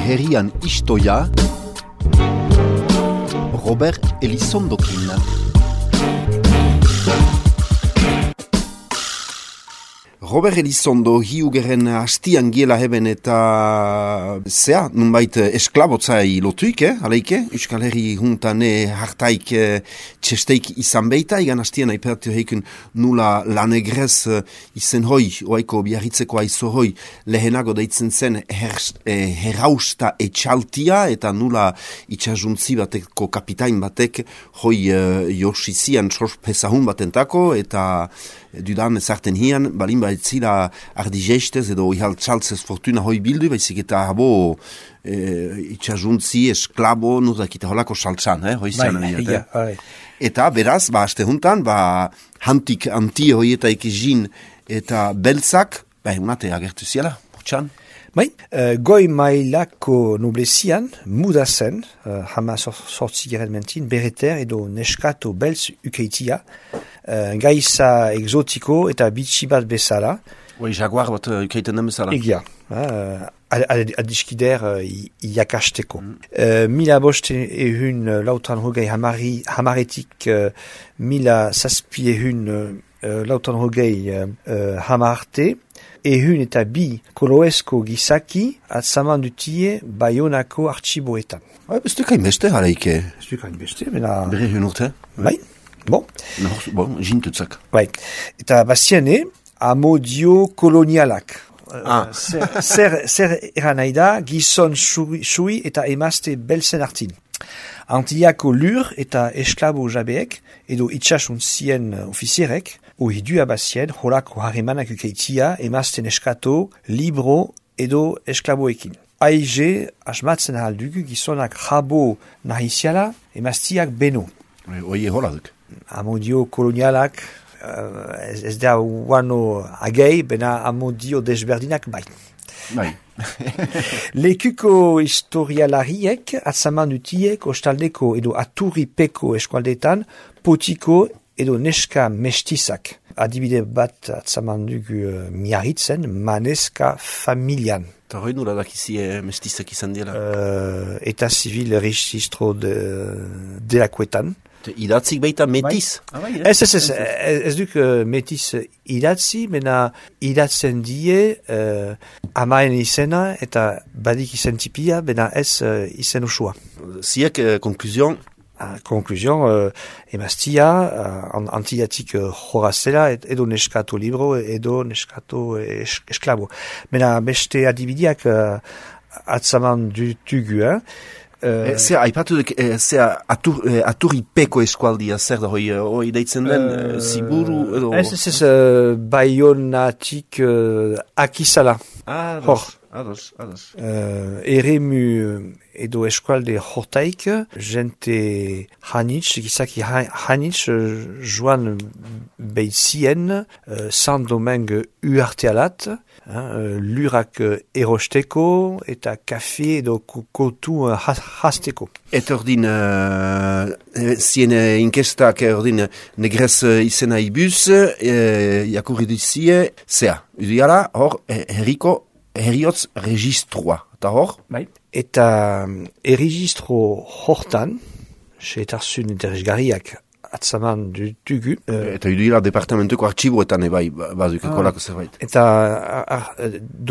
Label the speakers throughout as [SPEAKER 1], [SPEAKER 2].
[SPEAKER 1] herrian istoia, Robert Elizondokin. Robert Elizondo hiugeren hastian giela heben eta zea, nunbait esklabotzai lotuik, aleike, Euskal Herri juntane hartaik txesteik izan beita, igan hastian aipertu heikun nula lanegrez izen hoi, oaiko biarritzeko aizo hoi, lehenago deitzen zen herrausta etxaltia, eta nula itxasuntzi bateko kapitain batek hoi josizian sospezahun batentako, eta dudan ezarten hian, balin baitzila ardizestez edo ihal txaltzez fortuna hoi bildu, baizik eta habo itxasuntzi, esklabo, nuzakita holako saltzan, hoi zian. Eta beraz, aste juntan, hantik anti hoietaik izin eta beltzak, unate agertu ziala, bortxan.
[SPEAKER 2] Goi mailako noblezian, muda zen, hama sortzigaren mentin, bereter edo neskato beltz ukeitia, gaiza exotiko eta bitxi bat bezala.
[SPEAKER 1] Jaguar bat ukeiten den bezala.
[SPEAKER 2] Egia, adiskider iakasteko. Mila boste ehun lautan hogei hamaretik mila zazpi ehun lautan hogei hamarte, ehun eta bi koloesko gizaki atzaman dutie Baionako artxiboetan.
[SPEAKER 1] Bestukain beste, haleike.
[SPEAKER 2] Bestukain beste, bena...
[SPEAKER 1] Bere ehun urte?
[SPEAKER 2] Bon,
[SPEAKER 1] jintutzak.
[SPEAKER 2] Eta baziane, amodio kolonialak. Zer eran nahi da, gizon sui eta emazte belzen artin. Antiako lur eta esklabo jabeek, edo itxasuntzien ofizierek, ohidua bazien, holako harremanak ukeitia, emazten eskato, libro edo esklaboekin. Aize, asmatzen ahaldugu, gizonak jabo nahiziala, emaztiak beno.
[SPEAKER 1] Oie holaduk.
[SPEAKER 2] Amodio kolonialak, ez da uano agei, bena amodio desberdinak bai. Lekuko historialariek atzaman dutiek ostaldeko edo aturripeko eskualdetan potiko edo neska mestizak. Adibide bat atzaman dugu miarritzen, maneska familian.
[SPEAKER 1] Eta hori nula dakizie mestizak izan dela?
[SPEAKER 2] Eta civil registro delakoetan.
[SPEAKER 1] Idatzik baita metiz?
[SPEAKER 2] Ez duk metiz idatzi, mena idatzen die amaen izena eta badik izen tipia, bena ez izen usua.
[SPEAKER 1] Ziek, konkluzion?
[SPEAKER 2] Konkluzion, emaztia, antidatik jorazela, edo neskato libro, edo neskato esklabo. Mena beste adibidiak atzaman dutugu,
[SPEAKER 1] Zea, aipatu duk, aturripeko eskualdia, zer da hoi deitzen den, ziburu edo...
[SPEAKER 2] Ez, Baionatik akizala.
[SPEAKER 1] Ados.
[SPEAKER 2] Eremu edo eskualde hortaik, jente hanitz, gizaki hanitz, joan behitzien, Saint-Domingue uartealat, lurak erosteko eta kafe edo kotu hasteko.
[SPEAKER 1] Eta ordin, zien inkestak ordin negrez izena ibuz, jakurri duzie, zea, udiala, hor, herriotz registroa. Eta hor?
[SPEAKER 2] Eta erregistro hortan, seetarzun interesgarriak atzaman dutugu.
[SPEAKER 1] Eta uduila departamentuko artxiboetan ebai bazukeko lako zerbait.
[SPEAKER 2] Eta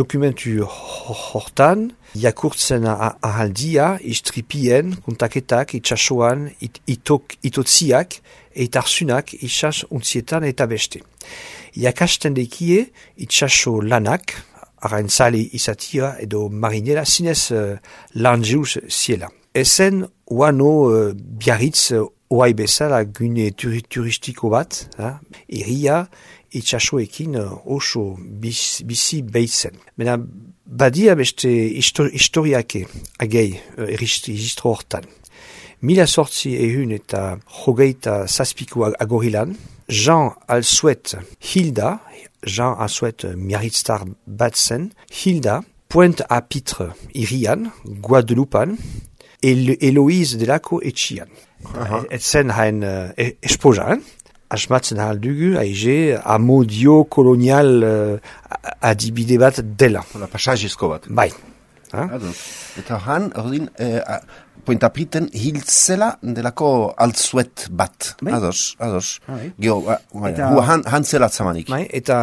[SPEAKER 2] dokumentu hortan, jakurtzen ahaldia, istripien, kontaketak, itxasoan, itotziak, eta arzunak, itxas untzietan eta beste. Jakasten dekie, itxaso lanak, arraintzale izatia edo marinela, zinez lan jeuz ziela. Ezen uano biarritz oai bezala gune turistiko bat, irria itxasoekin oso bizi behitzen. Mena badia beste historiake agei registro hortan. 1800 eta jogeita zazpiko agorilan, Jean Alsuet Hilda, Jean Alsuet miarritztar bat zen, Hilda, Pointe-à-Pitre irian, Guadeloupan, Eloise delako etxian. Et zen hain esposa, asmatzen aldugu, aize, amodio kolonial adibide bat dela.
[SPEAKER 1] Pasajezko bat.
[SPEAKER 2] Bai.
[SPEAKER 1] Eta han, ordin, pointapiten hiltzela delako altzuet bat. Ados. Geo, han zela zamanik.
[SPEAKER 2] Eta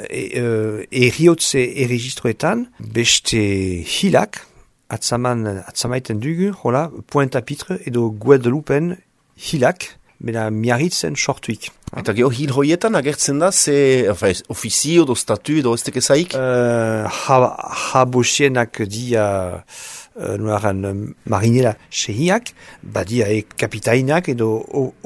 [SPEAKER 2] eriotze erregistroetan beste hilak atzamaiten dugu, Pointe-à-Pitre edo Guadeloupen hilak, bera miarritzen sortuik.
[SPEAKER 1] Eta geho hil hoietan agertzen da, ofizio do statu edo ez tekezaik?
[SPEAKER 2] Habosienak dia marinela sehiak, badia kapitainak edo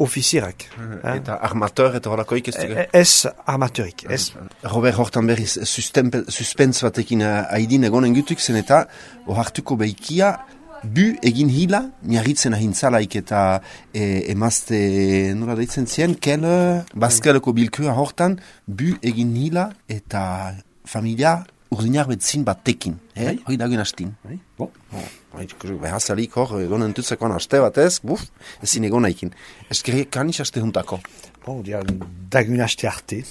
[SPEAKER 2] ofizierak.
[SPEAKER 1] Eta armateur eta holakoik ez dugu?
[SPEAKER 2] Ez armateurik, ez.
[SPEAKER 1] Robert hortan berriz suspens batekin haidin egonen gutuk zen eta ohartuko behikia bu egin hila, miarritzen ahintzalaik eta emazte, nola deitzen zien, bazkeleko bilkua hortan, bu egin hila eta familia urdinar betzin batekin. Hoi dagoen hastin. Behazalik hor, egon entutzekoan haste batez, ezin egon haikin. Eskerrik kanis haste juntako.
[SPEAKER 2] Dagoen haste arte.